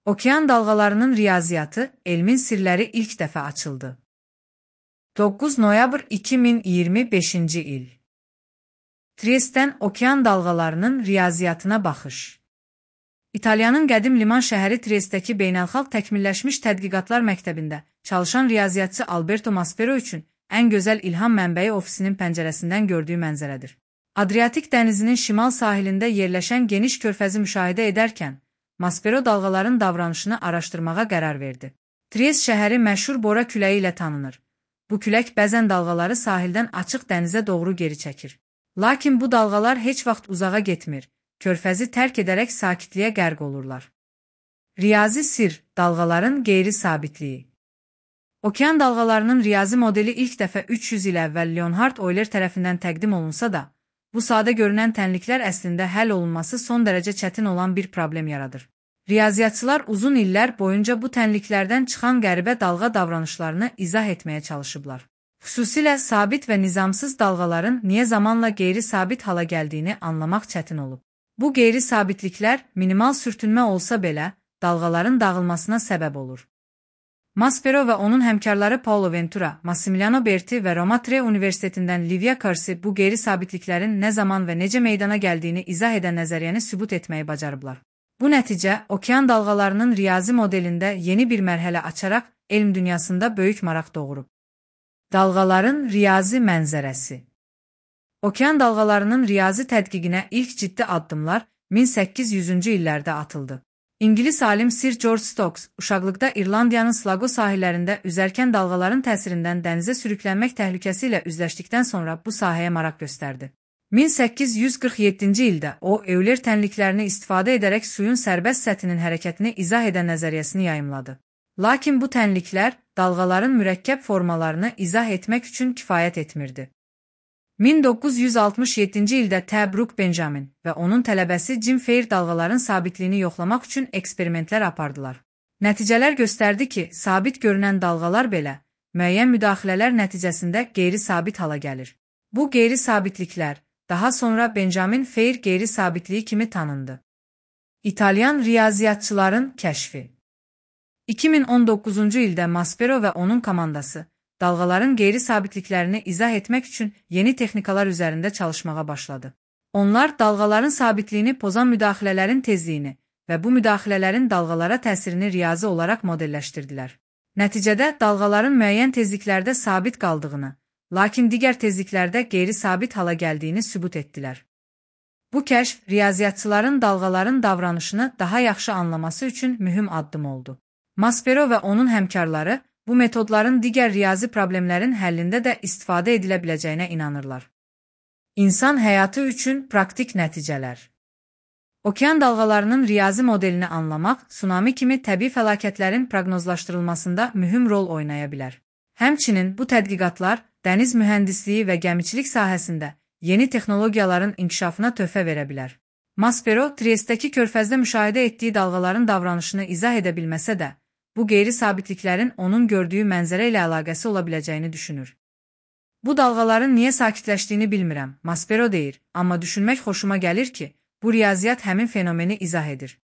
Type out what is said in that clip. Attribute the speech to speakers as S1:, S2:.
S1: Okean dalğalarının riyaziyyatı, elmin sirləri ilk dəfə açıldı. 9 noyabr 2025 il. Triestdən okean dalğalarının riyaziyyatına baxış. İtaliyanın qədim liman şəhəri Triestdəki beynəlxalq təkmilləşmiş tədqiqatlar məktəbində çalışan riyaziyyatçı Alberto Maspero üçün ən gözəl ilham mənbəyi ofisinin pəncərəsindən gördüyü mənzərədir. Adriatik dənizinin şimal sahilində yerləşən geniş körfəzi müşahidə edərkən, Maspero dalğaların davranışını araşdırmağa qərar verdi. Triest şəhəri məşhur Bora küləyi ilə tanınır. Bu külək bəzən dalğaları sahildən açıq dənizə doğru geri çəkir. Lakin bu dalğalar heç vaxt uzağa getmir, körfəzi tərk edərək sakitliyə qərq olurlar. Riyazi sir, dalğaların qeyri-sabitliyi. Okean dalğalarının riyazi modeli ilk dəfə 300 il əvvəl Leonhard Euler tərəfindən təqdim olunsa da, bu sadə görünən tənliklər əslində həll olunması son dərəcə çətin olan bir problem yaradır. Riyaziyyatçılar uzun illər boyunca bu tənliklərdən çıxan qəribə dalğa davranışlarını izah etməyə çalışıblar. Xüsusilə sabit və nizamsız dalğaların niyə zamanla qeyri-sabit hala gəldiyini anlamaq çətin olub. Bu qeyri-sabitliklər minimal sürtünmə olsa belə, dalğaların dağılmasına səbəb olur. Maspero və onun həmkarları Paolo Ventura, Massimiliano Berti və Roma Tre Universitetindən Livia Corsi bu qeyri-sabitliklərin nə zaman və necə meydana gəldiyini izah edən nəzəriyyəni sübut etməyi bacarıblar. Bu nəticə, okean dalğalarının riyazi modelində yeni bir mərhələ açaraq elm dünyasında böyük maraq doğurub. Dalğaların riyazi mənzərəsi. Okean dalğalarının riyazi tədqiqinə ilk ciddi addımlar 1800-cü illərdə atıldı. İngilis alim Sir George Stokes, uşaqlıqda İrlandiyanın Sligo sahillərində üzərkən dalğaların təsirindən dənizə sürüklənmək təhlükəsi ilə üzləşdikdən sonra bu sahəyə maraq göstərdi. 1847-ci ildə o, Euler tənliklərini istifadə edərək suyun sərbəst səthinin hərəkətini izah edən nəzəriyyəsini yayımladı. Lakin bu tənliklər dalğaların mürəkkəb formalarını izah etmək üçün kifayət etmirdi. 1967-ci ildə T. Brooke Benjamin və onun tələbəsi Jim Fair dalğaların sabitliyini yoxlamaq üçün eksperimentlər apardılar. Nəticələr göstərdi ki, sabit görünən dalğalar belə, müəyyən müdaxilələr nəticəsində qeyri-sabit hala gəlir. Bu qeyri-sabitliklər daha sonra Benjamin Fair qeyri-sabitliyi kimi tanındı. İtalyan riyaziyyatçıların kəşfi. 2019-cu ildə Maspero və onun komandası dalğaların qeyri-sabitliklərini izah etmək üçün yeni texnikalar üzərində çalışmağa başladı. Onlar dalğaların sabitliyini pozan müdaxilələrin tezliyini və bu müdaxilələrin dalğalara təsirini riyazi olaraq modelləşdirdilər. Nəticədə dalğaların müəyyən tezliklərdə sabit qaldığını, lakin digər tezliklərdə qeyri-sabit hala gəldiyini sübut etdilər. Bu kəşf riyaziyyatçıların dalğaların davranışını daha yaxşı anlaması üçün mühüm addım oldu. Maspero və onun həmkarları bu metodların digər riyazi problemlərin həllində də istifadə edilə biləcəyinə inanırlar. İnsan həyatı üçün praktik nəticələr. Okean dalğalarının riyazi modelini anlamaq, tsunami kimi təbii fəlakətlərin proqnozlaşdırılmasında mühüm rol oynaya bilər. Həmçinin bu tədqiqatlar dəniz mühəndisliyi və gəmiçilik sahəsində yeni texnologiyaların inkişafına töhfə verə bilər. Maspero, Triestdəki körfəzdə müşahidə etdiyi dalğaların davranışını izah edə bilməsə də, bu qeyri-sabitliklərin onun gördüyü mənzərə ilə əlaqəsi ola biləcəyini düşünür. Bu dalğaların niyə sakitləşdiyini bilmirəm, Maspero deyir, amma düşünmək xoşuma gəlir ki, bu riyaziyyat həmin fenomeni izah edir.